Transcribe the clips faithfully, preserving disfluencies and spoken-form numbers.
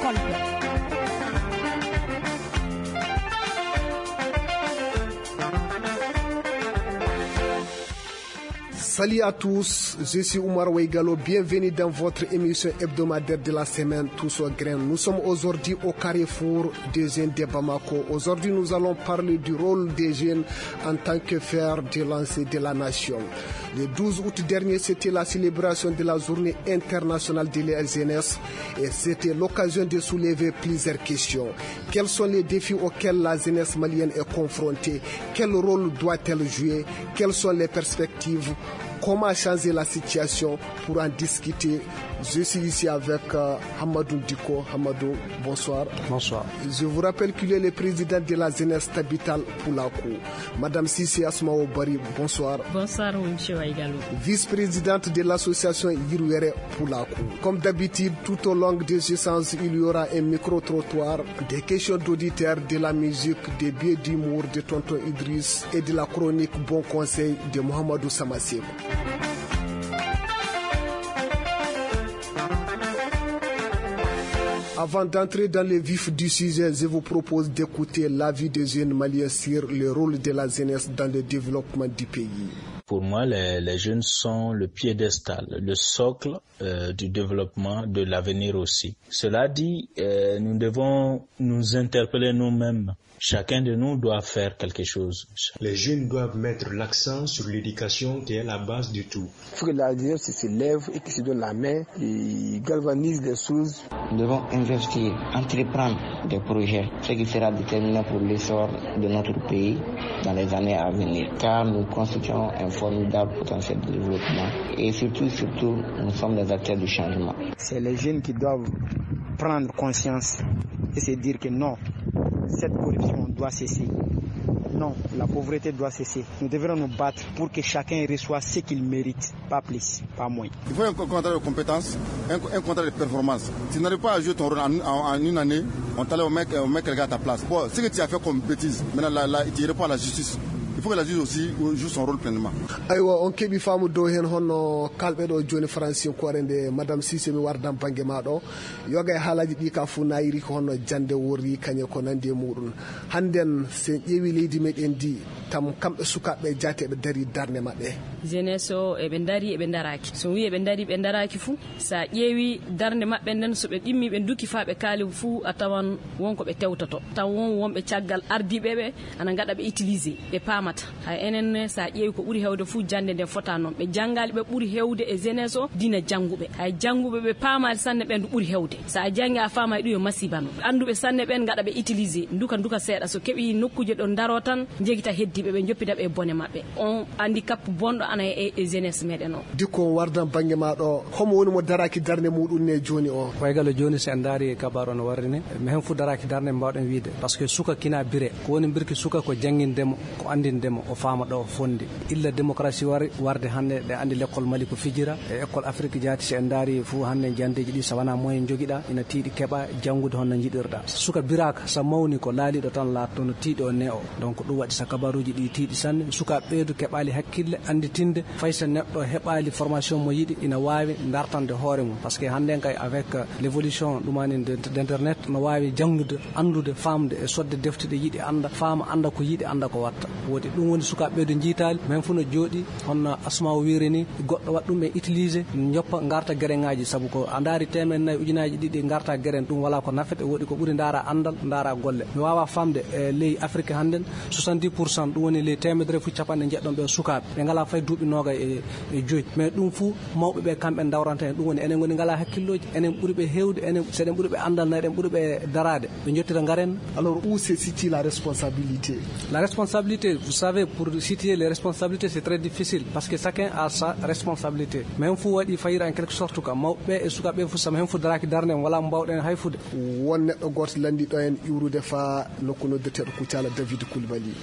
Kolda. Salut à tous, je suis Oumar Weigalo. Bienvenue dans votre émission hebdomadaire de la semaine, Tous au grain. Nous sommes aujourd'hui au carrefour des jeunes de Bamako. Aujourd'hui, nous allons parler du rôle des jeunes en tant que fer de lance de la nation. Le douze août dernier, c'était la célébration de la journée internationale de la jeunesse et c'était l'occasion de soulever plusieurs questions. Quels sont les défis auxquels la jeunesse malienne est confrontée ? Quel rôle doit-elle jouer ? Quelles sont les perspectives ? Comment changer la situation ? Pour en discuter, je suis ici avec euh, Hamadou Diko. Hamadou, bonsoir. Bonsoir. Je vous rappelle qu'il est le président de la jeunesse Tabital Poulakou. Madame Sissi Asmao Bari, bonsoir. Bonsoir, monsieur Waigalo. Vice-présidente de l'association Yirwere Poulakou. Comme d'habitude, tout au long des échanges, il y aura un micro-trottoir, des questions d'auditeurs, de la musique, des biais d'humour de Tonton Idriss et de la chronique Bon Conseil de Mohamedou Samassé. Avant d'entrer dans le vif du sujet, je vous propose d'écouter l'avis des jeunes maliens sur le rôle de la jeunesse dans le développement du pays. Pour moi, les, les jeunes sont le piédestal, le socle euh, du développement, de l'avenir aussi. Cela dit, euh, nous devons nous interpeller nous-mêmes. Chacun de nous doit faire quelque chose. Les jeunes doivent mettre l'accent sur l'éducation qui est la base de tout. Il faut que la jeunesse se lève et qui se donne la main, qui galvanise les choses. Nous devons investir, entreprendre des projets, ce qui sera déterminant pour l'essor de notre pays dans les années à venir. Car nous constituons un formidable potentiel de développement et surtout, surtout, nous sommes des acteurs du changement. C'est les jeunes qui doivent prendre conscience et se dire que non, cette corruption doit cesser. Non, la pauvreté doit cesser. Nous devrons nous battre pour que chacun reçoive ce qu'il mérite, pas plus, pas moins. Il faut un contrat de compétence, un, un contrat de performance. Tu n'arrives pas à jouer ton rôle en, en, en une année, on t'enlève, on met, on met quelqu'un à ta place. Bon, ce que tu as fait comme bêtise, maintenant là, là, tu réponds à la justice. Il faut que la justice aussi joue son rôle pleinement. Aywa, on keɓi faamu dow heen hono kalɓe ɗo jooni Faransinkoore nde, Madame Cissé, mi wardan bannge ma ɗo. Yoga e haalaaji ɗi ka fof naayiri ko hono jannde worri kañe ko nanndi e muɗum. Hannden so en ƴeewi leydi meɗen ndi, tam kamɓe sukaaɓe jaate eɓe dari darnde maɓɓe. Jeunesse o eɓe dari eɓe daraaki. So wi eɓe dari ɓe daraaki fuu, so a ƴeewi darnde maɓɓe nden, so ɓe ɗimmi ɓe duki faa ɓe kaali fuu, a tawan won ko ɓe tewtoto. Taw won wonɓe caggal ardiiɓe ɓe ana ngaɗa ɓe utiliser, ɓe paamata. Hay enen ne, so a ƴeewi ko ɓuri heewde fuu jannde nden fota noon. Ɓe janngaali ɓe ɓuri heewde e jeunesse o dina jannguɓe. Hay jannguɓe ɓe paamaali sanne ɓen du ɓuri heewde. So a janngi a faamaay ɗum yo masiba no. Annduɓe sanne ɓen ngaɗa ɓe utiliser, duka duka seeɗa. So keɓi nokkuuje ɗo daro tan, njegita heddiiɓe ɓe njoppita ɓe e bone maɓɓe. On handicap bonɗo ana e, e jeunesse meɗen o. Dikko wardan bannge ma ɗo, homo woni mo daraaki darnde muɗum ne jooni o? Waygalo jooni so en ndaari e kabaru no warri ni, mi hen fuu daraaki darnde mbawɗen wiide. Parce que suka kina bire. Ko woni mbirki suka ko jannginde mo, ko anndinde mo, o faama ɗo o fondi. Illa démocratie wari warde hannde, ɗe anndi lekkol Mali ko fijira, e école Afrique jaati, si en ndaari fuu hannde janndeeji ɗi, so wanaa moyen njogiɗa, ina tiiɗi keɓa janngude hono njiɗirɗa. Suka biraaka, so mawni ko laaliiɗo tan laatto, no tiiɗi o ne o. Donc ɗum waɗi so kabaruuji ɗi tiiɗi sanne, sukaaɓe ɓeydu keɓaali hakkille, annditinde, fay so neɗɗo heɓaali formation mo yiɗi, ina waawi dartande hoore mum. Parce que hannde kay avec, euh, l'évolution ɗumani de, de, d'internet, no waawi janngude, anndude, faamde e sodde defte ɗe yiɗi annda, faama, annda ko yiɗi, annda ko watta. Woodi ɗum woni sukaaɓe ɓeydu njiitaali, men fuu no jooɗi, hono Asma o wiiri ni, goɗɗo waɗa ɗum e utiliser, joppa, ngarta gereŋaaji, sabu ko a ndaari teemedde nayi ujunaaji ɗiɗi ngarta gereŋ, ɗum walaa ko nafete, woodi ko ɓuri ndaara anndal, ndaara golle. Mi waawaa faamde e ley Afrique hannden, soixante-dix pour cent, ɗum woni ley teemedere fuu capanɗe njeɗɗon ɓe sukaaɓe, ɓe ngalaa fay duuɓi noogay e, e joyi. Mais ɗum fuu mawɓe ɓe kamɓe ndawranta en, ɗum woni enen ngoni ngalaa hakkillooji, enen ɓuri ɓe heewde, enen, so eɗen ɓuri ɓe anndal, na eɗen ɓuri ɓe daraade. Ɓe njottira ngaren. Alors, où se situe la responsabilité? La responsabilité, vous savez, pour situer les responsabilités, c'est très difficile parce que chacun a sa responsabilité. Mais hen fuu waɗi fayida en quelque sorte ka mawɓe e sukaaɓe fuu, sama hen fuu daraaki darnde, wala mbawɗen hay fude. Won neɗɗo gooto lanndi ɗo en iwrude faa nokku noddeteeɗo Kucala, David Koulibaly.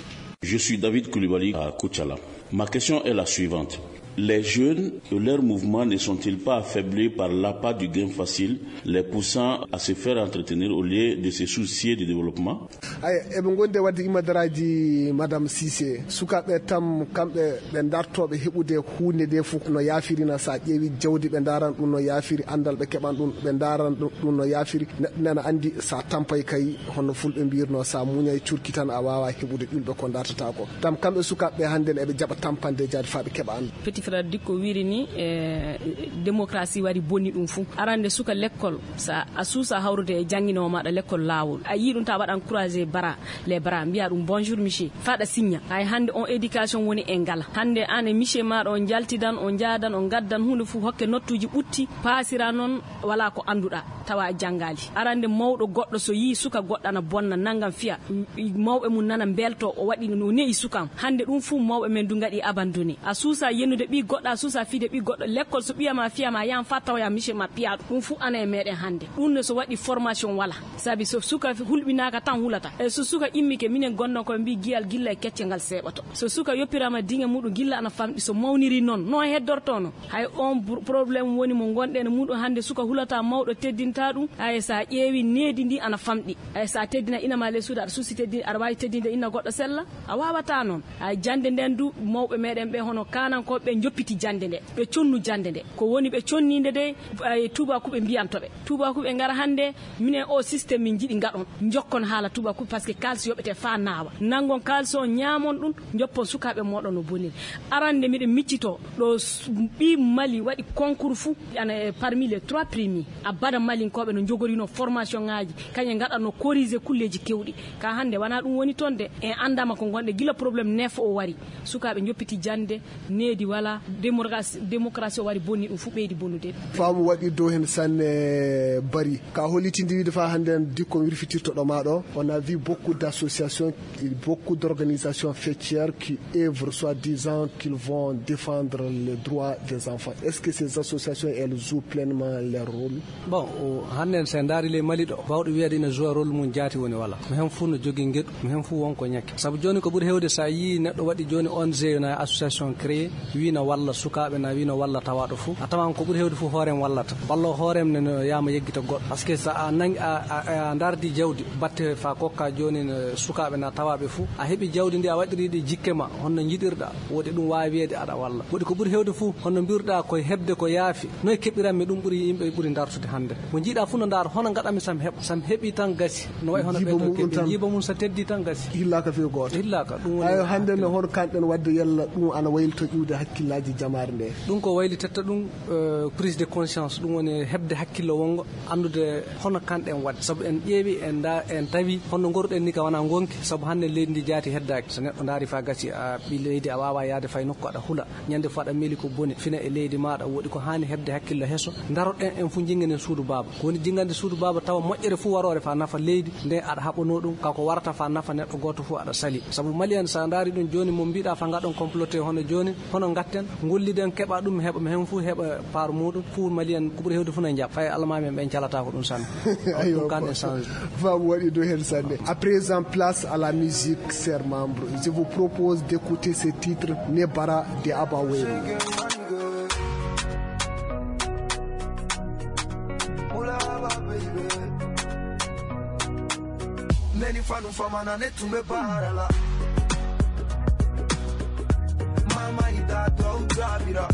Je suis David Koulibaly à Kucala. Ma question est la suivante. Les jeunes et leurs mouvements ne sont-ils pas affaiblis par l'appât du gain facile, les poussant à se faire entretenir au lieu de se soucier du développement? Aya, eɓe ngondi e waɗde imadaraaji, Madame Cissé. Sukaaɓe tam, kamɓe ɓe dartooɓe heɓude huunde nde fof no yaafirina. So a ƴeewi jawdi, ɓe ndaran ɗum no yaafiri, anndal ɓe keɓan ɗum, ɓe ndaran ɗum ɗum no yaafiri. Neɗɗo nana anndi, so a tampay kay, hono fulɓe mbirno, so a muñay curki tan, a waawa heɓude ƴulɓe ko dartata ko. Tam kamɓe sukaaɓe ɓe hannde ne eɓe jaɓa tampande jaadi faa ɓe keɓa anndal. Petit frère Dikko wiri ni, e, démocratie wari bonni ɗum fuu. Arande suka lekkol, sa a suusa hawrude e jannginoowo maaɗa lekkol laawol. A yii ɗum ta waɗan croiser bara, les bras, mbiya ɗum bonjour monsieur, faɗa signa. Hay hannde on éducation woni e ngala. Hannde an e monsieur maaɗa on njaltidan, on njaadan, on ngaddan huunde fuu hokke nottuuji ɓutti, paasira noon wala ko annduɗa. Tawa a janngaali. Arande mawɗo goɗɗo so yii suka goɗɗo ana bonna, nanngam fiya, m-, mawɓe mum nana mbelto, o waɗi no ne'i suka am. Hannde ɗum fuu mawɓe men du ngaɗi abandonné. A suusa yenude ɓii goɗɗo, a suusa fiide ɓii goɗɗo. Lekkol so ɓiya ma fiya ma, yahan faa tawoya monsieur ma piya ɗum. Ɗum fuu ana e meɗen hannde. Ɗum ne so waɗi formation wala. Sabi so suka hulɓinaaka tan hulata. E so suka immike, minen gonnoo koye mbii giyal gilla e kecce ngal seeɓoto. So suka yoppiraama diŋe muɗum gilla ana famɗi, so mawniri noon, no heddorto no? Hay on br-, problème woni mo ngonɗen e muɗum hannde, suka hulata, mawɗo teddinta ɗum. Hay so a ƴeewi needi ndi ana famɗi. Hay so a teddina ina ma ley suudu, aɗa suusi teddin-, aɗa waawi teddinde ina goɗɗo sella? A waawataa noon. Hay jannde nden du, mawɓe meɗen ɓe hono kaanankooɓe ɓe njoppiti jannde nde. Ɓe connu jannde nde. Ko woni ɓe conninde de, ay tuubaakuɓe mbiyanto ɓe. Tuubaakuɓe ngara hannde, minen o système min njiɗi ngaɗon. Njokkon haala tuubaakuɓe, parce que kaalis yoɓete faa naawa. Nanngon kaalis o, ñaamon ɗum, njoppon sukaaɓe mooɗon no boniri. Arande miɗen miccitoo ɗo s-, ɓii Mali waɗi concours fuu, ana e parmi les trois premiers. A bada Malinkooɓe no njogorinoo formation ŋaaji, kañe ngaɗatnoo corriger kulleeji keewɗi. Ka hannde wanaa ɗum woni toon de, en anndaama ko ngonɗen gila problème neef o wari. Sukaaɓe njoppiti jannde, needi wala, démocratie, démocratie o wari bonni ɗum fuu ɓeydi bonnude. Faamu waɗi dow heen sanne bari. Ka hollitinde wiide faa hannde en Dikko wirfitirtoɗo ma ɗo, on a vu beaucoup d'associations, beaucoup d'organisations faîtières qui œuvrent soi-disant qu'ils vont défendre les droits des enfants. Est-ce que ces associations, elles jouent pleinement leur rôle? Bon, o, hannde en, so en ndaari ley Mali ɗo, baawɗo wiyeede ina joue rôle mum jaati woni wala. Mo heen fuu no jogii ngeɗu, mo heen fuu won ko ñakke. Sabu jooni ko ɓuri heewde, so a yii neɗɗo waɗi jooni O N G, na association créée, wii na walla sukaaɓe, na wii na walla tawaaɗo fuu. A tawan ko ɓuri heewde fuu hoore en wallata. Walla hoore en ne no yaama yeggita goɗɗo. Parce que so a nangi, a, a, a ndaardi jawdi, batte faa kokka jooni no sukaaɓe na tawaaɓe fuu. A heɓi jawdi ndi, a waɗiri ɗi jikke ma, honno njiɗirɗa? Woodi ɗum waawi wiyeede aɗa walla. Woodi ko ɓuri heewde fuu, honno mbiruɗa koye heɓde ko yaafi? Noy keɓiranmi ɗum ɓuri yimɓe ɓuri dartude hannde? Mo njiiɗa fuu no ndaar, hono ngaɗanmi sam heɓ-, sam heɓi tan gasi. No wayi hono ɓe to keɓi. Jiiba mum sa teddi tan gasi. Hillaaka few gooto. Hillaaka, ɗum woni. Ayo, hannde no hono kanɗen waɗde yalla ɗum ana waylito ƴuwde hakkillaaji jamaare nde. Ɗum ko waylitetta ɗum, eh, prise de conscience, ɗum woni heɓde hakkillo wonngo, anndude hono kanɗen waɗde. Sabu en ƴeewi, en nda-, en tawi hono ngoruɗen ni ka wona ngonki, sabu hannde leydi ndi jaati heddaaki. So neɗɗo ndaari faa gasi, a ɓii leydi, a waawa yaade fay nokku aɗa hula. Ñande fof aɗa miili ko boni, fina e leydi maaɗa, woɗi ko haani heɓde hakkillo heso. Ndaroɗen en fof, jinganen suudu baaba. Ko woni jingande suudu baaba, tawa moƴƴere fof waroore faa nafa leydi, nde aɗa haɓanoo ɗum, ka ko warata faa nafa neɗɗo gooto fof aɗa sali. Sabu Mali en, so a ndaari ɗum jooni, mo mbiɗa faa ngaɗon comploté hono jooni, hono ngatten, ngolliden, keɓa ɗum, heɓa, mo heen fof heɓa part muɗum, fof Mali en, ko ɓuri heewde fof no njaɓa. Fay almaami en ɓen calata ko ɗum sanne. Aywa, ɗum kan en change. Faamu waɗi dow heen sanne. À présent, place à la musique, chers membres. Je vous propose d'écouter ce titre, Nebara de Abba Wayne. Neni fanu fama na ne tumbe barala. Mama ida to utabira.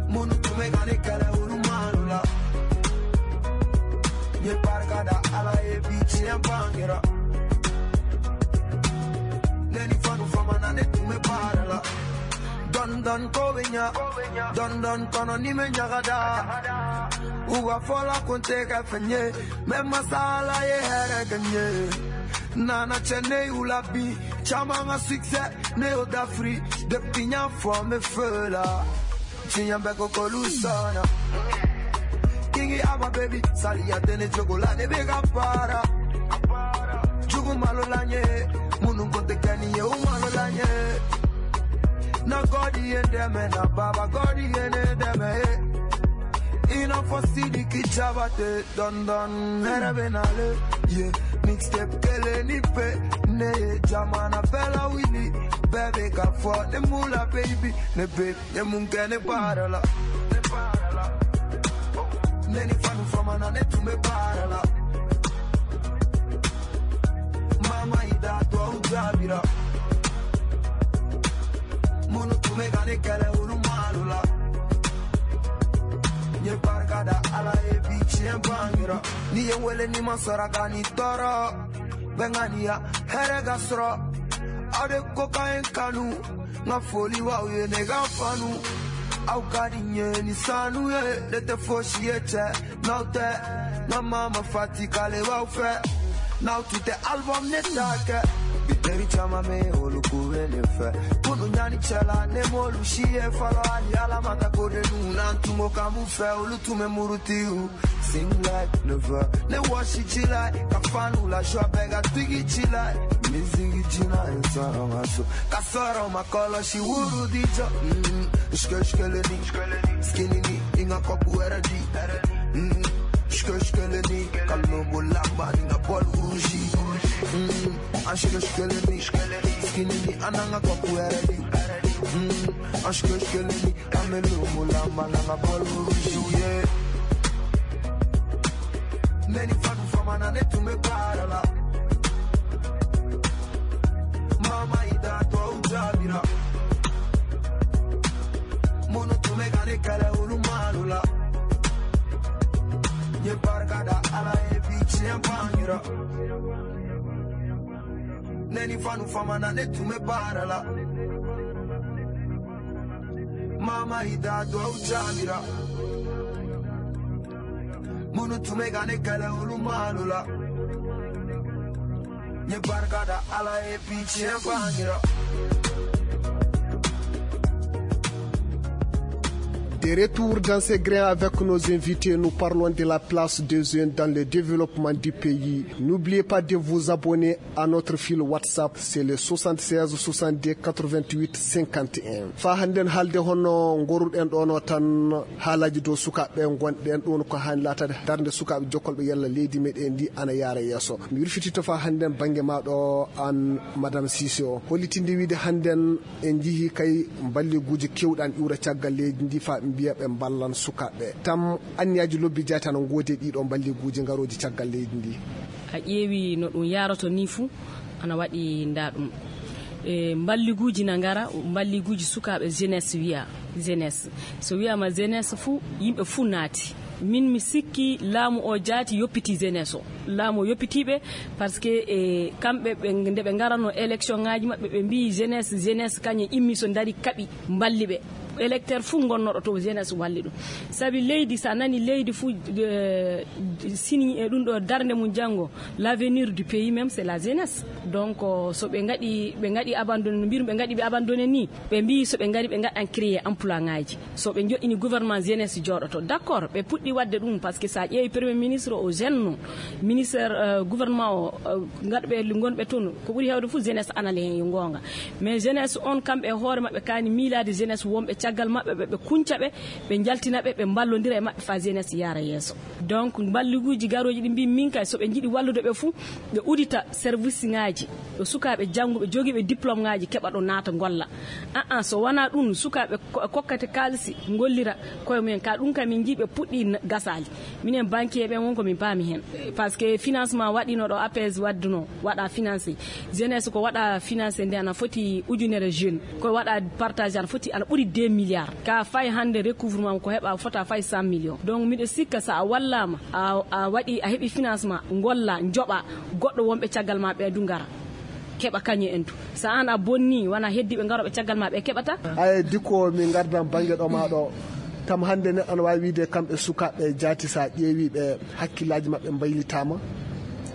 Munu tume gane kala ulu manula. Ye parka da ala ye bichi ya bangira. Neni fanu fama na ne tume barala. Don don ko benya. Don don kono ni me nyagada. Uga fola konte ka fenye. Me masala ye here ganye. Nana chene ulabi. Chamanga succès. Neo d'Afrique. De pinya for me fela. Chinyambe ko kolusana. Kingi ama baby. Sali ya dene jogo la de bega para. Jugu malo lanye. Munu konte kani ye umalo lanye. Na God ye deme, na Baba God ye ne deme, eh. Ina fo sidi ki chabate, don don, here benale. Yeah, mixtape kele ni pe, ne ye jamana bela wili. Bebe ka fo, ne mula baby, ne babe, ne mun kene barala. Ne ni fanu fama na ne tume barala. Mama ida to au jabira. Munu tume gane kele ulu malula. Nye barka da ala e bichi en bangira. Ni ye wele ni masara gani toro. Bengania, here gasro. Ade koka en kanu. Nga foli wa uye ne ga fanu. Au kadi nye ni sanu ye. Dete foshi ye che. Naute. Nga mama fati kale wa ufe. Now to the album ne take. Biteri chama me olu kuwele fe. Kunu nyani chela ne molu shiye falo ali ala mata kode nu nantu mo kamu fe olu tume muruti u. Sing like never. Ne washi chilai. Kafanu la shwa bega tigi chilai. Mizigi jina insana maso. Kasoro makolo shi wuru dijo. Mm. Shke shke le ni. Skinny ni. Inga kopu era di. Mm. Shke shke le ni. Kalo bolamba ni nga bol rouge. Mm. Ashke shke le ni. Skinny ni. Ananga kopu era di. Mm. Ashke shke le ni. Amelo mulamba nanga bol rouge. Yeah. Neni fanu fama na ne tume parala. Mama ida to ujabira. Munu tume gane kala ulu malula. Ye barka da ala e bichi en pangira. Neni fanu fama na ne tume parala. Mama ida to ujabira. Munu tume gane kala ulu malula. Nye barka da ala e bichi en pangira. De retour dans ces grains avec nos invités, nous parlons de la place des jeunes dans le développement du pays. N'oubliez pas de vous abonner à notre fil WhatsApp, c'est le soixante-seize soixante-deux quatre-vingt-huit cinquante et un. Fa hannden haalde hono ngoruɗen ɗono tan haalaji dow sukaaɓe gonɗen ɗon ko haani laatade darnde sukaaɓe jokkolɓe yalla leydi meɗen ndi ana yaara yeeso. Mi wirfitito fa hannden bannge ma ɗo an Madame Cissé o. Hollitinde wiide hannden en njihi kay mballiguuji kewɗi ana iwra caggal leydi ndi fa ɓe mbiya ɓe mballan sukaaɓe. Tam anniyaji lobbi jaati ana ngoodi e ɗiɗo mballiguuji ngarooji caggal leydi ndi. A ƴeewi no ɗum yaroto ni fuu, ana waɗi nda ɗum. E mballiguuji na ngara, mballiguuji sukaaɓe jeunesse wiya, jeunesse. So wiyama jeunesse fuu, yimɓe fuu naati. Min mi sikki laamu o jaati yoppiti jeunesse o. Laamu o yoppitiiɓe, parce que e kamɓe ɓe, nde ɓe ngarano élection ngaji maɓɓe, ɓe mbi jeunesse, jeunesse kañum immi so dari kaɓi mballi ɓe. Électeur fuu gonnoɗo to jeunesse walli ɗum. Sabi leydi, sa nani leydi fuu, eh, sini e ɗum ɗo darnde mum janngo, l'avenir du pays même, c'est la jeunesse. Donc, so ɓe ngaɗi, ɓe ngaɗi abandonné, no mbiyru ɓe ngaɗi ɓe abandonné ni, ɓe mbi so ɓe ngari ɓe ngaɗan créer emploi ngaji. So ɓe joɗɗini gouvernement, jeunesse jooɗoto. D'accord, ɓe puɗɗi waɗde ɗum, parce que sa ƴeewi premier ministre o jeune no, ministre, eh, gouvernement o, eh, ngaɗɓe, gonɓe toon, ko ɓuri heewde fof jeunesse anale heen, yo goonga. Mais jeunesse on, kamɓe e hoore maɓɓe kaani miilaade jeunesse wonɓe caggal maɓɓe, ɓe, ɓe kunca ɓe, ɓe njaltina ɓe, ɓe mballondira e maɓɓe faa jeunesse yaara yeeso. Donc, mballiguuji garooji ɗi mbi min kay, so ɓe njiɗi wallude ɓe fuu, ɓe udita service ŋaaji, ɗo sukaaɓe jannguɓe jogiiɓe diplôme ŋaaji keɓa ɗo naata ngolla. Aa, so wonaa ɗum, sukaaɓe ko-, kokkate kaalisi, ngollira koye mumen. Ka ɗum kam min njii ɓe puɗɗii n-, gasaali. Minen banquier ɓen won ko min paami heen. Parce que financement waɗino ɗo APS wadduno, waɗa financé. Jeunesse ko waɗa financé nde ana foti ujunere jeune. Ko waɗa partage ana foti ana ɓuri deux milliards. Ka fay hannde recouvrement ko heɓa fota fay cent millions. Donc miɗo sikka sa a wallama, a, a waɗi, a heɓi financement, ngolla, joɓa, goɗɗo wonɓe caggal ma ɓe du ngara. Keɓa kañum en du. So an a bonni, wona heddiiɓe ngarooɓe caggal ma ɓe keɓata. Ay, dikko min ngardan bannge ɗo ma ɗo. Kam hannde neɗɗo ana waawi wiide kamɓe sukaaɓe jaati, so a ƴeewi ɓe, hakkillaaji maɓɓe mbaylitaama.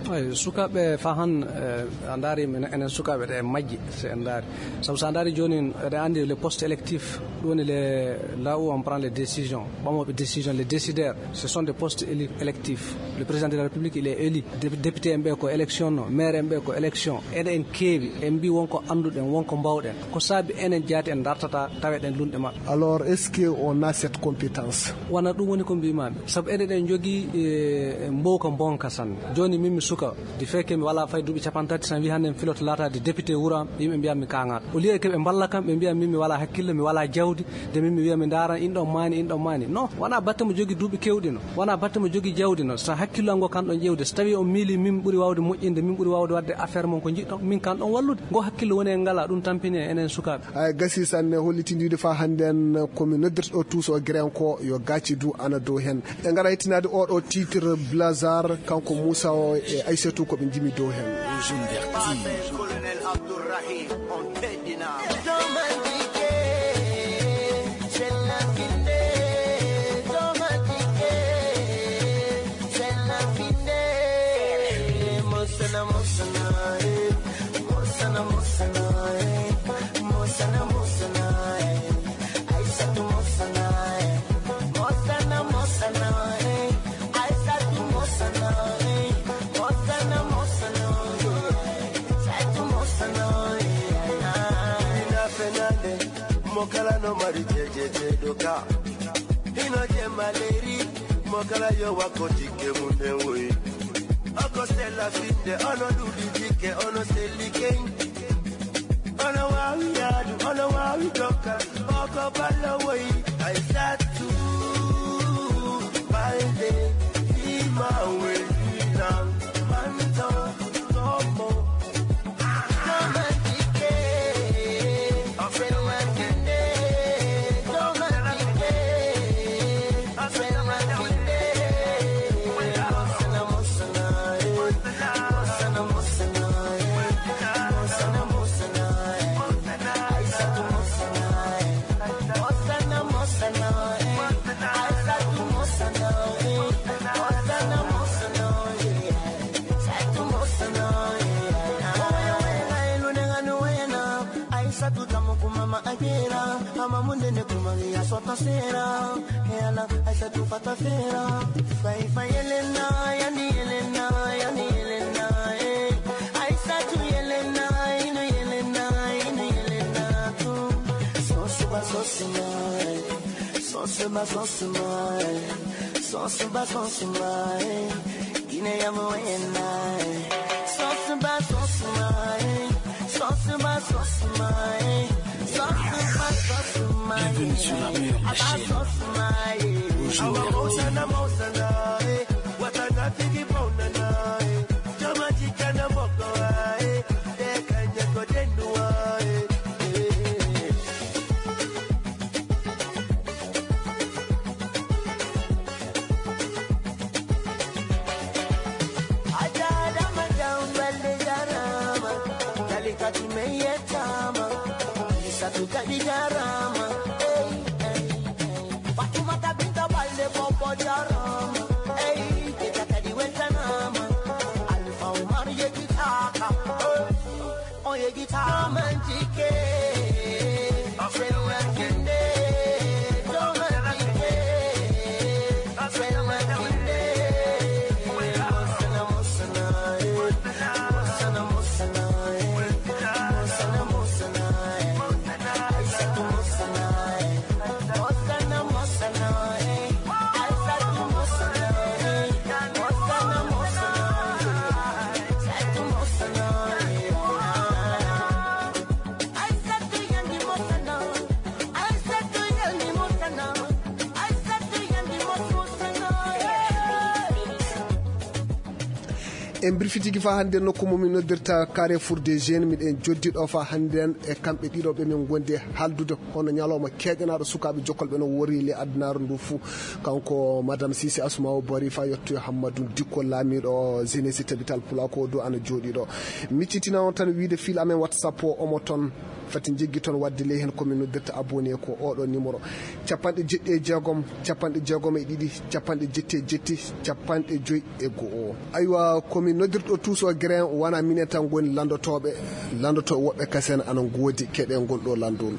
Ay, sukaaɓe fa han, eh, a ndaari men, enen sukaaɓe ɗe majji, so en ndaari. Sabu so a ndaari jooni, eɗen anndi les postes électifs, ɗum woni les, là où on prend les décisions, ɓamooɓe décision, les décideurs, ce sont des postes éli-, électifs. Le président de la République, il est élu. Dé-, député en ɓe ko élection no, maire en ɓe ko élection. Enen en keewi, en mbi wonko annduɗen, wonko mbawɗen. Ko saabi enen jaati en dartata, taweɗen lunɗe maɓɓe. Alors, est-ce que on a cette compétence? Wona ɗum woni ko mbimami. Sabu enen en jogii, eh, mbowka mbonka sanne. Jooni min mi Suka, di feke mi wala fay duuɓi capanɗe tati, tan wi hannde mi filoto laataade député wuro am, yimɓe mbiya mi kaŋaat. Au lieu que ɓe mballa kam, ɓe mbiya min mi wala hakkille, mi wala jawdi, de min mi wiya mi ndaran inɗo maani, inɗo maani. Non, wona batte mo jogi duuɓi kewɗi no, wona batte mo jogi jawdi no. So hakkillo am ngo kan ɗon ƴewde, so tawi on miili min ɓuri wawde moƴƴinde, min ɓuri wawde wadde affaire mon ko jiɗɗon, min kan ɗon wallude. Ngo hakkillo woni e ngala, ɗum tampini e enen sukaaɓe. Ay gasi sanne, hollitinde wiide fa hannde en ko mi noddirta ɗo tuuso o Grenko yo gaaci du ana dow heen. En ngara hettinaade oɗo titre Blazar, kanko Moussa o e Aissatou ko ɓe njimi dow heen. Colonel Abdourahim on teddina. Mo kala no mari jejeje doka. Hino je maleri, mo kala yo wako tike munde woyi. Oko sela finde, ono dudi tike, ono seli ken. Ono wawi yadu, ono wawi doka. Oko balo woyi, I start to balde, ima we, na, manto, tomo. Aissatou tamu kuma ma ajera, ama munde ne kuma ya sota sera. He ala, Aissatou fata fera. Fai fai Elena, yani Elena, yani Elena, eh. Aissatou Elena, inu Elena, inu Elena tu. So suba so sima, eh. So suba so sima, eh. So suba so sima, eh. Guinée ya mo ena, eh. So suba so sima, eh. So suba so sima, eh. So suba so sima, eh. Bienvenue sur la meilleure des chaînes. Bonjour. Ajarama Jambal de jarama, Kalikatu me yettama, Isatu kadi jarama. Hey, hey, hey. Fatumata Binta Balde Bobo jarama. Hey, Keta kadi weltanama. Alfa Umar yekitaka. Hey. On yegitama jike. Selwa kinde. Toma jike. En mbirfitiki fa hannde nokku mo min noddirta Carrefour des Jeunes. Miɗen joddi ɗo fa hannde en e kamɓe ɗiɗo ɓe min ngondi haaldude hono ñalawma keeƴanaaɗo sukaaɓe jokkolɓe no wori le addunaare ndu fuu. Kanko Madame Sisi Asma'u Bari fa yettoyo Hammadou Dikko, laamiiɗo Jeunesse Tabital Pulako do ana jooɗi ɗo. Miccitina on tan wiide fil amen WhatsApp o omo toon. Fati jeggi toon wadde ley heen ko min noddirta abonné ko oɗo numéro: capanɗe jeɗɗi e jeegom, capanɗe jeegom e ɗiɗi, capanɗe jetti e jetti, capanɗe joyi e go'o. Aywa, ko min noddirɗo tuuso grain, wona minen tan ngoni lanndotooɓe. Lanndotooɓe woɓɓe kasen ana ngoodi keɗe ngol ɗo lanndol.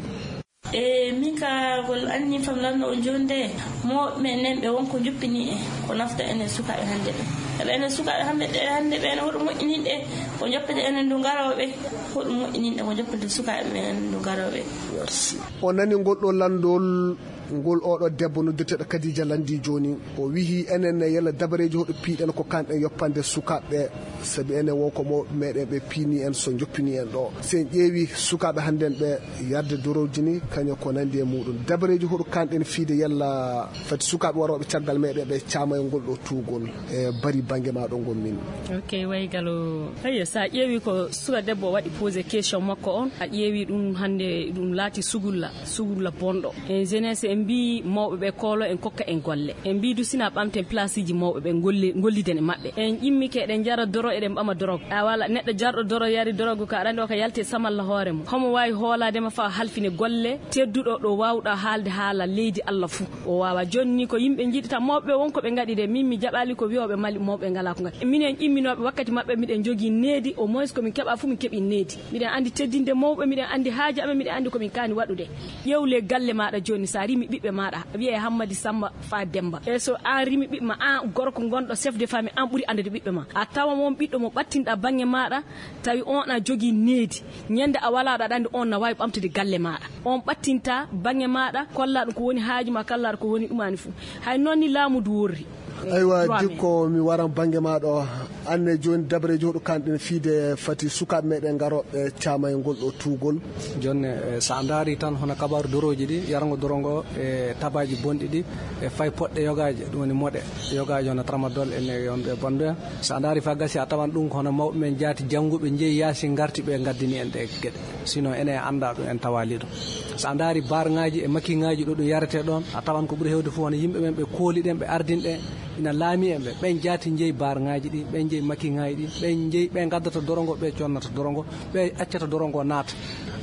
E min ka gol anni fam lanno o jonde mo men nen ɓe wonko joppini e ko nafta enen sukaaɓe hannde ɓe. Ɓe enen sukaaɓe hannde ɓe, hannde ɓe ene hoɗo moƴƴinin ɗe ko joppete enen ndu garoɓe, hoɗo moƴƴinin ɗe ko joppete sukaaɓe ɓe enen ndu garoɓe. Merci. O nani ngol ɗo lanndol. Ngol oɗo debbo noddirteɗo Kadija Landi joni, o wihi enen ne yalla dabareji hoɗo piiɗen ko kanɗen yoppande sukaɓe, sabi enen wonko mawɓe meɗen ɓe piini en so joppini en ɗo. Si en ƴeewi sukaɓe hannden ɓe yarde dorowji ni, kañum ko nandi e muɗum. Dabareji hoɗo kanɗen fiide yalla fati sukaɓe waroɓe caggal meɗen ɓe caama e ngol ɗo tuugol e bari bangge ma ɗo ngon min. Ok, way galo. Eyyo, sa ƴeewi ko suka debbo waɗi posé question makko on, a ƴeewi ɗum hannde ɗum laati sugulla, sugulla bonɗo. En jeunesse en mbi mawɓe ɓe koolo en kokka en golle. En mbi du sina ɓamten place ji mawɓe ɓe golle, golliden e maɓɓe. En ƴimmike eɗen jara doro, eɗen ɓama dorog. A wala neɗɗo jarɗo doro yari dorog ka aɗa anndi o ka yalti e samalla hoore mum. Homo waawi hoolaade ma fa halfine golle tedduɗo ɗo waawɗa haalde haala leydi Allah fuu. O waawa. Jooni ni ko yimɓe njiɗi tan mawɓe ɓe won ko ɓe ngaɗi de. Min mi jaɓaali ko wi'ooɓe mali mawɓe ngalaa ko ngaɗi. Minen ƴimminooɓe wakkati maɓɓe miɗen jogii needi, au moins ko min keɓa fuu min keɓi needi. Miɗen anndi teddinde mawɓe, miɗen anndi haaji amen, miɗen anndi ko min kaani waɗude. Ƴeewle galle maaɗa jooni sa rimi ɓiɓɓe maaɗa, wi'e Hammadi Samba fa Demba. E so an rimi ɓiɓɓe ma, an gorko gonɗo chef de famille, an ɓuri anndude ɓiɓɓe ma. A tawa won ɓiɗɗo mo ɓattinɗa bannge maaɗa, tawi on a jogii needi. Ñande a walaa ɗo aɗa anndi on na waawi ɓamtude galle maaɗa. On ɓattinta bannge maaɗa, kolla ɗum ko woni haaju ma, kalla ɗum ko woni ɗumani fuu. Hay noon ni laamu du worri. Aywa, dikko mi waran bannge ma ɗo. Anne jooni dabareji hoɗo kanɗen fiide fati sukaaɓe meɗen ngarooɓe caama e ngol ɗo tuugol. Jonne, eh, so a ndaari tan hono kabaaru dorooji ɗi, yarngo doro ngo e tabaaji bonɗi ɗi, e fay poɗɗe yogaaje, ɗum woni moɗe yogaaje hono tramadol en e wonɓe bonɓe. So a ndaari fa gasi a tawan ɗum ko hono mawɓe men jaati jannguɓe njeyi yaasi ngarti ɓe ngaddini en ɗe geɗe. Sinon enen en anndaa ɗum, en tawaali ɗum. So a ndaari barŋaaji e makiŋaaji ɗo ɗum yaretee ɗoon, a tawan ko ɓuri heewde fof hono yimɓe men ɓe kooli ɗen, ɓe ardini ɗen, ina laami en ɓe. Ɓen jaati njeyi barŋaaji ɗi, ɓen njeyi makiŋaaji ɗi, ɓen njeyi, ɓe ngaddata doro ngo, ɓe connata doro ngo, ɓe accata doro ngo naata.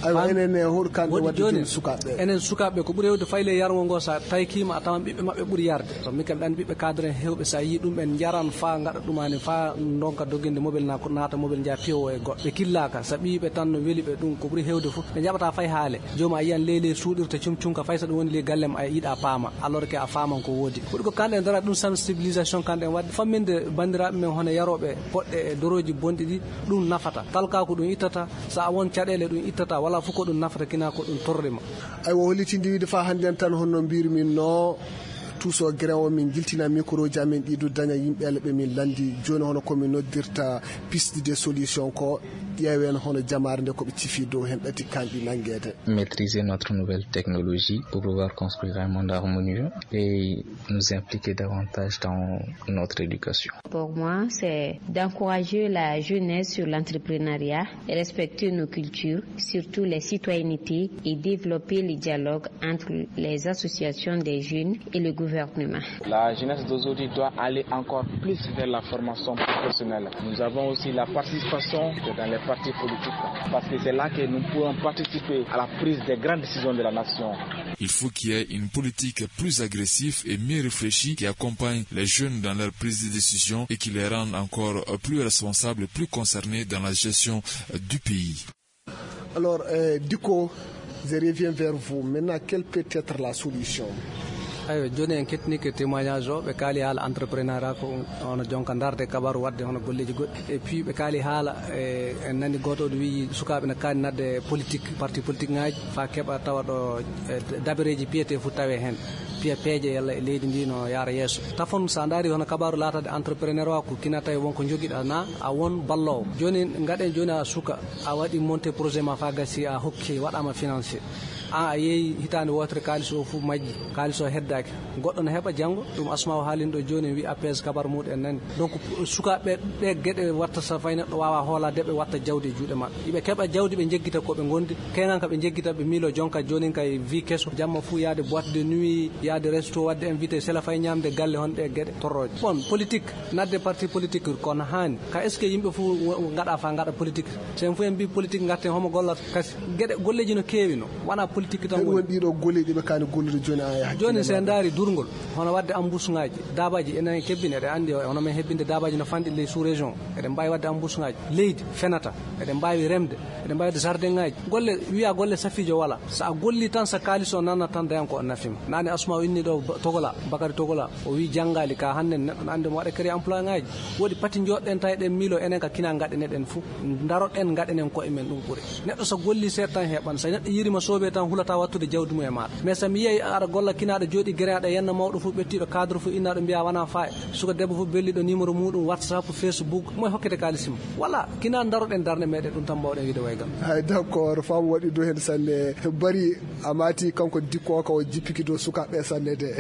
Aywa, enen ne, hoɗo kanɗe waɗde jooni sukaaɓe ɓe? Enen sukaaɓe ɓe, ko ɓuri heewde fayi le yarngo ngo, so a taykiima, a tawan ɓiɓɓe maɓɓe ɓuri yarde. To min kam, ɗan ɓiɓɓe cadre en heewɓe, so a yii ɗum, ɓen njaran faa ngaɗa ɗumani, faa ndonka doginde mobel na ko naata mobel njaha piyo e goɗɗo. Ɓe killaaka, so ɓiyiɓe tan no weli ɓe ɗum, ko ɓuri heewde fof, ɓe njaɓata fay haale. Jooma a yiyan ley ley suuɗirta cum cum ka fay so ɗum woni ley gallem a yiɗa paama, alors que a faaman ko woodi. Ko ɗum ko kanɗen dara ɗum sensibilisation kanɗen waɗde, famminde banndiraaɓe men hono yarooɓe poɗɗe e dorooji bonɗi ɗi, ɗum nafata. Talka ko ɗum ittata, so a won caɗeele ɗum ittata, wala fof ko ɗum nafata, kina ko ɗum torrima. Aywa, hollitinde wiide faa hannden tan honno mbirmin no, tuuso grève o min jiltina microji amen ɗi du daña yimɓe ele ɓe min lanndi. Jooni hono ko min noddirta piste de solution ko ƴeewen hono jamaare nde ko ɓe cifi dow hen ɗati kanɗi nanngeede. Maîtriser notre nouvelle technologie pour pouvoir construire un monde harmonieux et nous impliquer davantage dans notre éducation. Pour moi, c'est d'encourager la jeunesse sur l'entrepreneuriat, respecter nos cultures, surtout les citoyennetés, et développer les dialogues entre les associations des jeunes et le gouvernement. La jeunesse d'aujourd'hui doit aller encore plus vers la formation professionnelle. Nous avons aussi la participation dans les partis politiques, parce que c'est là que nous pouvons participer à la prise des grandes décisions de la nation. Il faut qu'il y ait une politique plus agressive et mieux réfléchie qui accompagne les jeunes dans leur prise de décision et qui les rende encore plus responsables, plus concernés dans la gestion du pays. Alors, euh, Diko, je reviens vers vous. Maintenant, quelle peut être la solution? Eywa, jooni en kettinike témoignage o, ɓe kaali haala entreprenariat ko hono jonka ndarde kabaru waɗde hono golleeji goɗɗi. Et puis ɓe kaali haala, e, en nani gooto o wiyi sukaaɓe na kaani nadde politique, parti politique ŋaaji, fa keɓa tawa ɗo, e, dabareeji piyetee fof tawe heen. Piya peeje yalla e leydi ndi no yaara yeeso. Tafon, so a ndaari hono kabaru laatade entrepreneur o ko kina tawi won ko jogiɗa na a won balloowo. Jooni ngaɗen jooni a suka, a waɗi monté projet ma fa gasi a hokki, waɗama financé. An a yeeyi hitaande wootere kaalis o fof majji, kaalis o heddaaki. Goɗɗo ne heɓa janngo, ɗum Asma o haalino ɗo jooni, en wi A P S kabar muɗum en nani. Donc, sukaaɓe ɓe geɗe watta so fay neɗɗo waawa hoolaade ɓe watta jawdi e juuɗe maɓɓe. Iɓe keɓa jawdi ɓe njeggita ko ɓe ngondi, kenan ka ɓe njeggita ɓe miilo jonka joonin kay vie keso, jamma fuu yaade boîte de nuit, yaade resto, waɗde invité, sela fay ñaamde galle hon ɗe geɗe torrooje. Bon, politique, nadde parti politique kono haani. Ka est-ce que yimɓe fuu wo-, ngaɗa fa ngaɗa politique? So en fuu en mbi politique ngarten homo gollata? Kasi geɗe golleeji no keewi no, wona politique tan woni. Won ɗiɗo golleeji ɓe kaani gollude jooni a yaha. Jooni so en ndaari durngol, hono waɗde embouche ŋaaji, daabaaji enen kebbini, eɗen anndi hono men hebbinde daabaaji no fanɗi ley sous région. Eɗen mbaawi waɗde embouche ŋaaji. Leydi fenata, eɗen mbaawi remde, eɗen mbaawi waɗde jardin ŋaaji. Golle, wiya golle safiijo wala. So a golli tan, so kaalis o nanna tan, dayan ko o nafima. Naane Asma o inni ɗo Ba-, Togola, Bakari Togola, o wi janngaali ka hannde neɗɗo no anndi mo waɗa créer emploi ŋaaji. Woodi pati jooɗɗen tawi ɗen miilo enen ka kina ngaɗen eɗen fuu. Ndaroɗen ngaɗenen koye men ɗum ɓuri. Neɗɗo so golli seeɗa tan heɓan. So neɗɗo yiirima soobee tan Hulata wattude jawdi mum e maaɗa. Mais so mi yiyay aɗa golla kinaaɗo jooɗi gere aɗa yenna mawɗo fof ɓettiiɗo cadre fof innaaɗo mbiya wona faayi. Suka debbo fof belliɗo numéro muɗum WhatsApp, Facebook, moye hokkete kaalis mum. Voilà, kinaa daroɗen darnde meɗen ɗum tan mbawɗen wiide waygal. Hay d'accord, faamu waɗi dow heen sanne. Bari a maati kanko dikko o ka o jippiki dow sukaaɓe sanne de.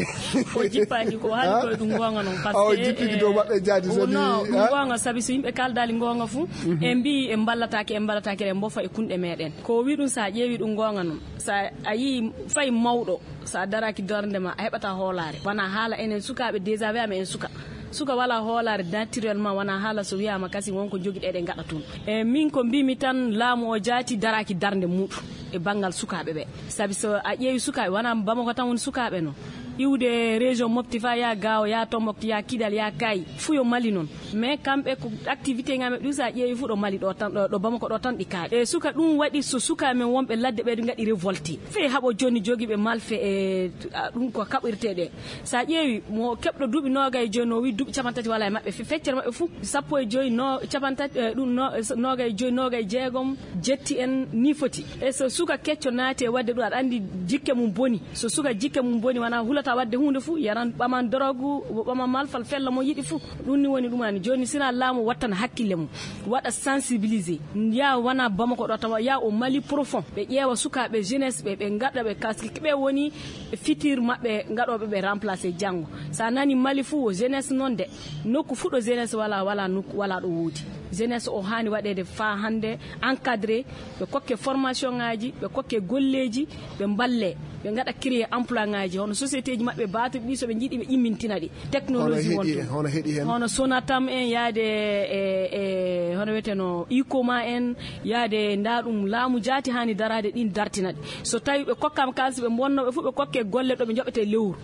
O jippaaki, ko o haali ko e ɗum goonga noon, parce que, o jippiki dow maɓɓe jaadi o sabi, non, ɗum goonga sabi so yimɓe kaaldaali goonga fof, e mbi en mballataake, en mballataake, eɗen mbofa e kunɗe meɗen. Ko o wi ɗum, so a ƴeewi ɗum goonga noon, so a yii fay mawɗo, so a daraaki darnde ma, a heɓata hoolaare. Wona haala enen sukaaɓe déjà, wiyama en suka. Suka wala hoolaare naturellement, wona haala so wiyama kasi wonko jogiɗen eɗen ngaɗa toon. E min ko mbimi tan, laamu o jaati daraaki darnde muɗum e banngal sukaaɓe ɓe. Sabi so a ƴeewi sukaaɓe, wona Bamako tan woni sukaaɓe no. Iwde région Mopti fa ya Gaawo, ya Tombouctou, ya Kidal, ya Kayi, fuu yo Mali noon. Mais kamɓe ko activité ngaɓe ɗum, so a ƴeewi fuu ɗo Mali ɗo tan, ɗo, ɗo Bamako ɗo tan ɗi kaali. E suka ɗum waɗi so sukaaɓe men wonɓe ladde ɓe ngaɗi révolte. Fii haɓo jooni jogiiɓe malfe e, a, ɗum ko kaɓirte ɗe. So a ƴeewi mo keɓɗo duuɓi noogay e joyi no wi duuɓi capanɗe tati wala e maɓɓe, fe-, feccere maɓɓe fuu sappo e joyi, no, capanɗe tati, e, ɗum no, noogay e joyi, noogay e jeegom, jetti en ni foti. E so suka kecco naati e waɗde ɗum, aɗa anndi jikke mum boni. So suka jikke mum boni, wona hulata waɗde huunde fuu, yaran, ɓaman dorogu, ɓaman malfal, fella mo yiɗi fuu. Ɗum ni woni ɗum ani. Jooni sina laamu wattana hakkille mum, waɗa sensibiliser. Ya wona Bamako ɗo tawa, ya o Mali profond. Ɓe ƴeewa sukaaɓe jeunesse ɓe, ɓe ngaɗa ɓe, parce que ɓe woni futur maɓɓe, ngaɗooɓe ɓe remplacer janngo. So a nani Mali fuu, o jeunesse noon de. Nokku fuu ɗo jeunesse wala, wala nokku, wala ɗo woodi. Jeunesse o haani waɗeede faa hannde encadré, ɓe kokke formation ŋaaji, ɓe kokke golleeji, ɓe mballe, ɓe ngaɗa créer emploi ŋaaji, hono société ji maɓɓe baatuɗi ɗi, so ɓe njiɗi ɓe immintina ɗi. Technologie wonto. Hono heɗi heen. Hono Sonatam en, yaade e, e, hono wiyeteno Icoma en, yaade nda ɗum laamu jaati haani daraade ɗin dartina ɗi. So tawi ɓe kokkaama kaalis, ɓe mbonno ɓe fof, ɓe kokke golle ɗo ɓe njoɓete lewru.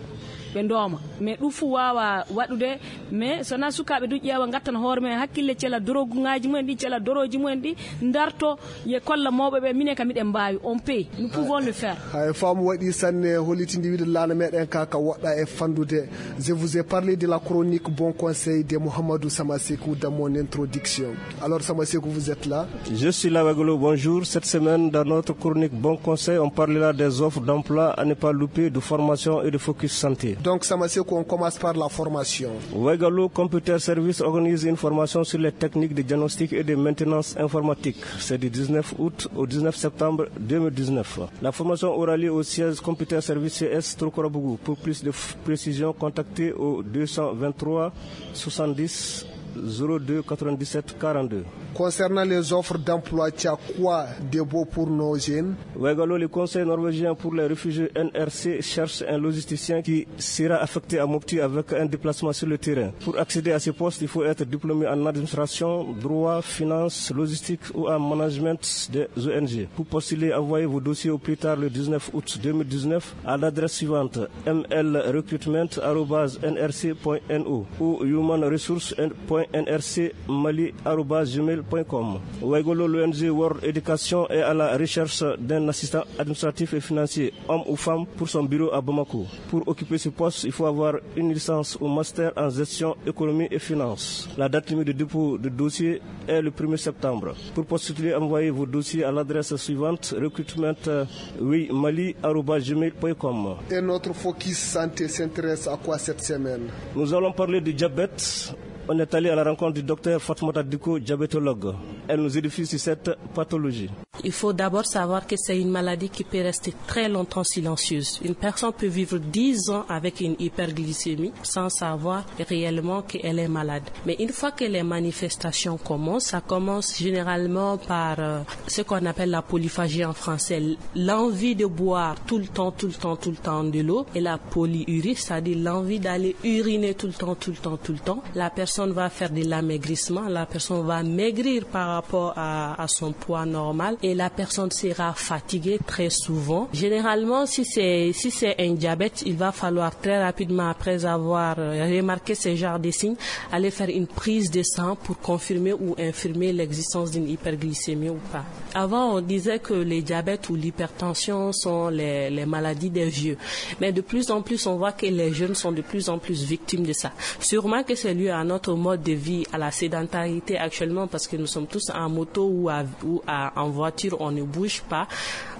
Ɓe ndooma. Mais ɗum fof waawa waɗude, mais so wonaa sukaaɓe du ƴeewa, ngattana hoore mum hakkille, cela drogue ŋaaji mumen ɗi, cela doroji mumen ɗi, darto, ye kolla mawɓe ɓe, minen kam miɗen mbaawi, on peut, nous pouvons le faire. Hay faamu waɗi sanne, hollitindi wiide laana meɗen ka, ka woɗɗa e fandude. Je vous ai parlé de la chronique Bon Conseil de Mohamedou Samasekou dans mon introduction. Alors, Samasekou, vous êtes là ? Je suis là, Wegolo, bonjour. Cette semaine, dans notre chronique Bon Conseil, on parlera des offres d'emploi à ne pas louper, de formation et de focus santé. Donc, Samasekou, on commence par la formation. Wegolo Computer Service organise une formation sur les techniques de diagnostic et de maintenance informatique. C'est du dix-neuf août au dix-neuf septembre deux mille dix-neuf. La formation aura lieu au siège Computer Service C S Trokorobougou. Pour plus de f-, précision, contactez au deux cent vingt-trois soixante-dix zéro deux quatre-vingt-dix-sept quarante-deux. Concernant les offres d'emploi, tu as quoi de beau pour nos jeunes ? Wegolo, le Conseil norvégien pour les réfugiés N R C cherche un logisticien qui sera affecté à Mopti avec un déplacement sur le terrain. Pour accéder à ce poste, il faut être diplômé en administration, droit, finance, logistique ou en management des O N G. Pour postuler, envoyez vos dossiers au plus tard le dix-neuf août deux mille dix-neuf à l'adresse suivante, M L recruitment arobase N R C point N O ou human resource point N R C Mali arobase gmail point com. Wegolo, l'O N G World Education est à la recherche d'un assistant administratif et financier, homme ou femme, pour son bureau à Bamako. Pour occuper ce poste, il faut avoir une licence ou master en gestion, économie et finance. La date limite de dépôt de dossier est le premier septembre. Pour postuler, envoyez vos dossiers à l'adresse suivante, recrutement, euh, oui, mali arobase gmail point com. Et notre focus santé s'intéresse à quoi cette semaine ? Nous allons parler du diabète. On est allé à la rencontre du docteur Fatoumata Diko, diabétologue. Elle nous édifie sur cette pathologie. Il faut d'abord savoir que c'est une maladie qui peut rester très longtemps silencieuse. Une personne peut vivre dix ans avec une hyperglycémie sans savoir réellement qu'elle est malade. Mais une fois que les manifestations commencent, ça commence généralement par, euh, ce qu'on appelle la polyphagie en français, l'envie de boire tout le temps, tout le temps, tout le temps de l'eau, et la polyurie, c'est-à-dire l'envie d'aller uriner tout le temps, tout le temps, tout le temps. La personne va faire de l'amaigrissement, la personne va maigrir par rapport à, à son poids normal et la personne sera fatiguée très souvent. Généralement, si c'est, si c'est un diabète, il va falloir très rapidement, après avoir, euh, remarqué ce genre de signes, aller faire une prise de sang pour confirmer ou infirmer l'existence d'une hyperglycémie ou pas. Avant, on disait que les diabètes ou l'hypertension sont les, les maladies des vieux. Mais de plus en plus, on voit que les jeunes sont de plus en plus victimes de ça. Sûrement que c'est lié à notre mode de vie, à la sédentarité actuellement, parce que nous sommes tous en moto ou à, ou à, en voiture. On ne bouge pas.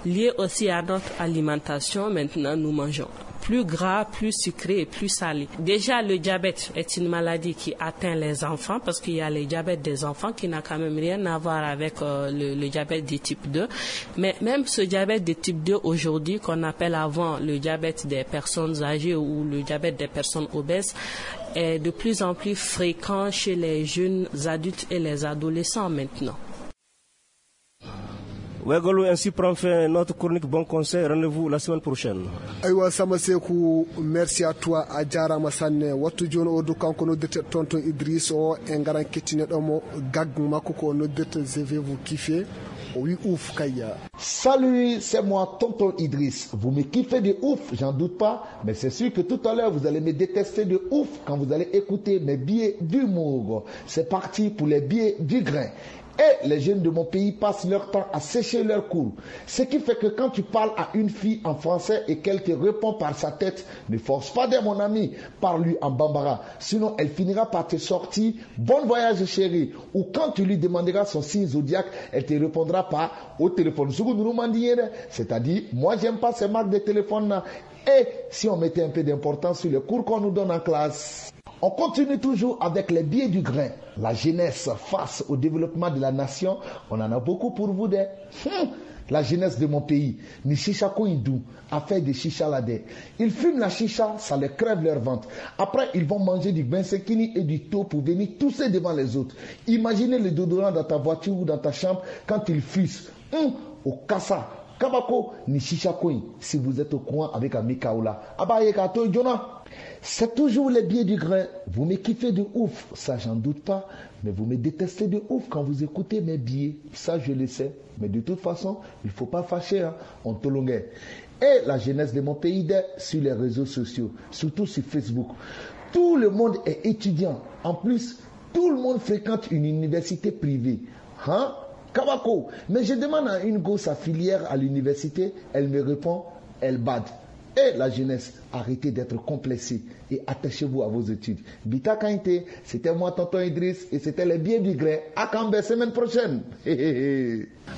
Lié aussi à notre alimentation, maintenant, nous mangeons plus gras, plus sucré et plus salé. Déjà, le diabète est une maladie qui atteint les enfants, parce qu'il y a le diabète des enfants qui n'a quand même rien à voir avec euh, le, le diabète de type deux. Mais même ce diabète de type deux aujourd'hui, qu'on appelle avant le diabète des personnes âgées ou le diabète des personnes obèses, est de plus en plus fréquent chez les jeunes adultes et les adolescents maintenant. Wegolu, ainsi prend fin notre chronique. Bon conseil, rendez-vous la semaine prochaine. Aywa, Sama Seku, merci à toi, a jarama sanne. Wattu joni o du kanko noddirte tonton Idriss o, e ngaran kettineɗo mo gag makko ko noddirte je vais vous kiffer. O wi ouf kayya. Salut, c'est moi, tonton Idriss. Vous me kiffez de ouf, j'en doute pas, mais c'est sûr que tout à l'heure vous allez me détester de ouf quand vous allez écouter mes billets d'humour. C'est parti pour les billets du grain. Et les jeunes de mon pays passent leur temps à sécher leurs cours. Ce qui fait que quand tu parles à une fille en français et qu'elle te répond par sa tête, ne force pas d'elle, mon ami, parle-lui en bambara. Sinon, elle finira par te sortir bon voyage chérie. Ou quand tu lui demanderas son signe zodiaque, elle te répondra par au téléphone. Sugu nuru mandiere, c'est-à-dire, moi j'aime pas ces marques de téléphone là. Et si on mettait un peu d'importance sur les cours qu'on nous donne en classe. On continue toujours avec les billets du grain. La jeunesse face au développement de la nation, on en a beaucoup pour vous des. Hmm. La jeunesse de mon pays, ni chicha ko ils doux, affaire de chicha là des. Ils fument la chicha, ça leur crève leur ventre. Après, ils vont manger du bensekini et du thon pour venir tousser devant les autres. Imaginez le déodorant dans ta voiture ou dans ta chambre quand ils fuient. Hum, au kasa, kabako, ni chicha coin. Si vous êtes au courant avec Amika Oula, abaye ka toy jona. C'est toujours les billets du grain. Vous me kiffez de ouf, ça j'en doute pas. Mais vous me détestez de ouf quand vous écoutez mes billets. Ça je le sais. Mais de toute façon, il faut pas fâcher, hein. On tolongue. Et la jeunesse de mon pays d'est sur les réseaux sociaux, surtout sur Facebook. Tout le monde est étudiant. En plus, tout le monde fréquente une université privée. Hein? Kabako. Mais je demande à une go sa filière à l'université, elle me répond, elle bad. Et la jeunesse, arrêtez d'être complexée et attachez-vous à vos études. Bita Kainte, c'était moi, tonton Idriss, et c'était les biens du gré. À Cambé, semaine prochaine.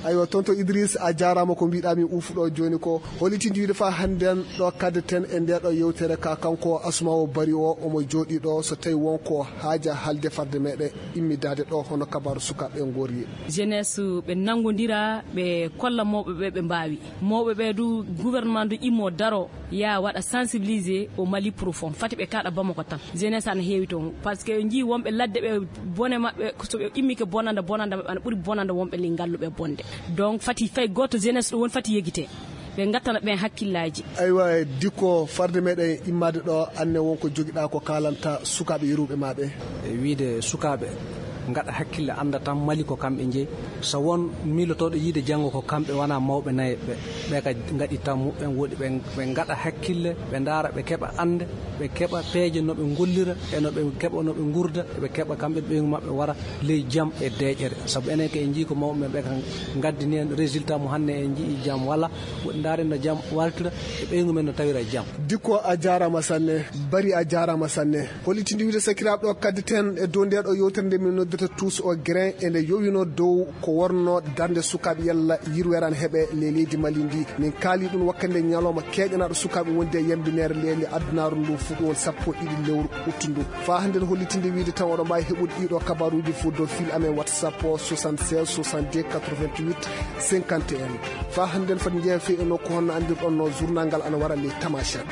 Aywa, tonton Idriss, a jarama ko mbiɗami ufuɗo joni ko holitidi wiide fa hannden ɗo kadden e nde ɗo yewtere ka kanko Asma o bari o omo jooɗi ɗo so tawi wonko haaja halde farde meɗen immidade ɗo hono kabaru sukaɓe ngori. Jeunesse ɓe nangodira ɓe kolla mawɓe ɓe ɓe mbawi mawɓe ɓe du gouvernement du immo daro ya waɗa sensibiliser au Mali profond fati ɓe kaɗa Bamako tan jeunesse ana heewi toon parce que en jii wonɓe ladde ɓe bone maɓɓe soɓe immike bonanda bonanda maɓɓe ana ɓuuri bonanda wonɓe li ngalluɓe bonde donc fati fay goto jeunesse ɗo woni fati yegite ɓe gattana ɓen hakkillaji. Aywa, dikko farde meɗen immade ɗo anne wonko jogiɗa ko kalanta sukaɓe yeruɓe ma ɓe. E wiide sukaɓe gaɗa hakkille anda tan Mali ko kamɓe jeeyi so won miilotoɗo yiide janngo ko kamɓe wona mawɓe nayeɓe ɓe ka gaɗi tan muɓɓen woɗi ɓe gaɗa hakkille ɓe ndaara ɓe keɓa ande ɓe keɓa peeje no ɓe gollira e no ɓe keɓa no ɓe gurda ɓe keɓa kamɓe ɓeygu maɓɓe wara ley jam e deeƴere sabu enen ko en jii ko mawɓe men ɓe ka gaddini en résultat mo hanne en jii jam wala woɗi ndaaren no jam wartira e ɓeygu men no tawira jam. Dikko a jarama sanne. Bari a jarama sanne. Holitidi wiide sakiraɓe ɗo kaddeten e dow nde ɗo yewtere nde min noddata tous au grain e nde yowino dow ko wonno darde sukaɓe yalla yirwere ana heeɓe ley leydi Mali ndi. Min kaali ɗum wakkati nde ñalawma keeƴanaɗo sukaɓe wondi e yambinere leydi addunaru ndu fuɗɗo won sappo e ɗiɗi lewru uttu ndu. Fa hande no hollitinde wiide tan oɗo mbawi heɓude ɗiɗo kabaruji fof dow fil amen WhatsApp o soixante-seize soixante-deux quatre-vingt-huit cinquante et un. Fa hande no foti jeeya fii e nokku honno andirɗon no journal ngal ana wara ley Tamashek.